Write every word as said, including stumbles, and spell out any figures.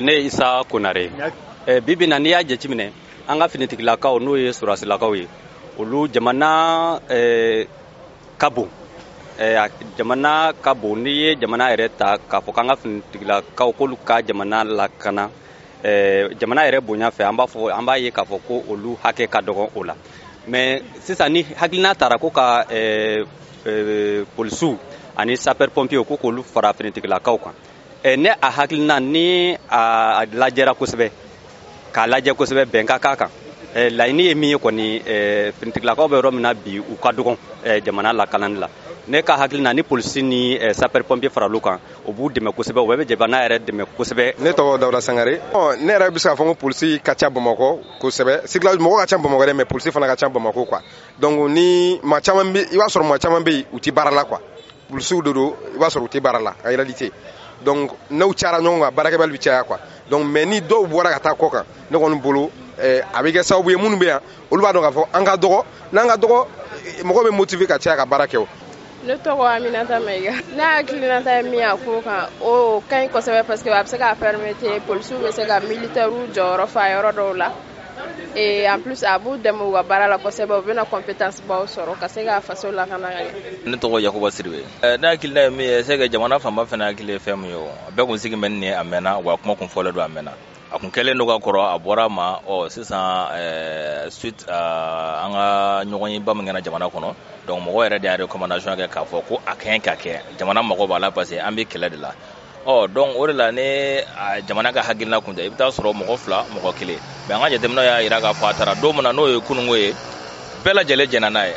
Ne ye Isa Konare. Bi bi na, n'i y'a jateminɛ, an ka finitigilakaw, n'o ye sɔrɔdasilakaw ye, olu jamana ka bon, jamana ka bon. N'i ye jamana yɛrɛ ta k'a fɔ k'an ka finitigilakaw k'olu ka jamana lakana, jamana yɛrɛ bonya fɛ, an b'a fɔ, an b'a ye k'a fɔ ko olu hakɛ ka dɔgɔ o la. Mais sisan, ni hakilina taara ko ka polisiw ani sapeur pompier ko k'olu fara finitigilakaw kan, ne a hakilina ni a lajɛra kosɛbɛ, k'a lajɛ kosɛbɛ, bɛn ka k'a kan. Laɲini ye min ye kɔni, finitigilakaw bɛ yɔrɔ min na bi, u ka dɔgɔn jamana lakanani la. Ne ka hakilina, ni polisi ni sapeur pompier faral'u kan, o b'u dɛmɛ kosɛbɛ, o bɛɛ bɛ jamana yɛrɛ dɛmɛ kosɛbɛ. Ne tɔgɔ Dawuda Sangare. Ne yɛrɛ bɛ se k'a fɔ ko polisi ka ca Bamakɔ kosɛbɛ. Circulation, mɔgɔ ka ca Bamakɔ dɛ, mais polisi fana ka ca Bamakɔ quoi. Donc ni maa caman bɛ, i b'a sɔrɔ maa caman bɛ yen, u tɛ baara la quoi. Polisiw de don, i b'a sɔrɔ u tɛ baara la en réalité. Donc n'u cayara ɲɔgɔn kan, baarakɛbali bɛ caya quoi. Donc mais ni dɔw bɔra ka taa kɔ kan, ne kɔni bolo, a bɛ kɛ sababu ye, minnu bɛ yan, olu b'a dɔn k'a fɔ an ka dɔgɔ. N'an ka dɔgɔ, mɔgɔ bɛ motiver ka caya ka baara kɛ o. Ne tɔgɔ Aminata Mayiga. Ne hakilinata ye min ye a ko kan, o ka ɲi kosɛbɛ, parce que a bɛ se k'a permettre polisiw bɛ se ka militaires jɔyɔrɔ fa yɔrɔ dɔw la, et en plus a b'u dɛmɛ u ka baara la kosɛbɛ. U bɛna compétence baw sɔrɔ ka se ka faso lakana ka ɲɛ. Ne tɔgɔ Yakuba Sidibe. Ne hakilina ye min ye, c'est que jamana fanba fana hakili ye fɛn min ye, o a bɛɛ kun sigi bɛ nin ye a mɛnna wa, kuma kun fɔlen don a mɛnna, a kun kɛlen don ka kɔrɔ, a bɔra a ma. Ɔ sisan, suite an ka ɲɔgɔnyeba min kɛra jamana kɔnɔ, donc mɔgɔ yɛrɛ de y'a recommandation kɛ k'a fɔ ko a ka ɲi ka kɛ, jamana mago b'a la, parce que an bɛ kɛlɛ de la. Ɔ donc o de la, ne jamana ka hakilina kun tɛ, i bɛ taa sɔrɔ mɔgɔ fila, mɔgɔ kelen, mais an ka jateminɛw y'a jira k'a fɔ a taara don min na, n'o ye kununko ye, bɛɛ lajɛlen jɛnna n'a ye.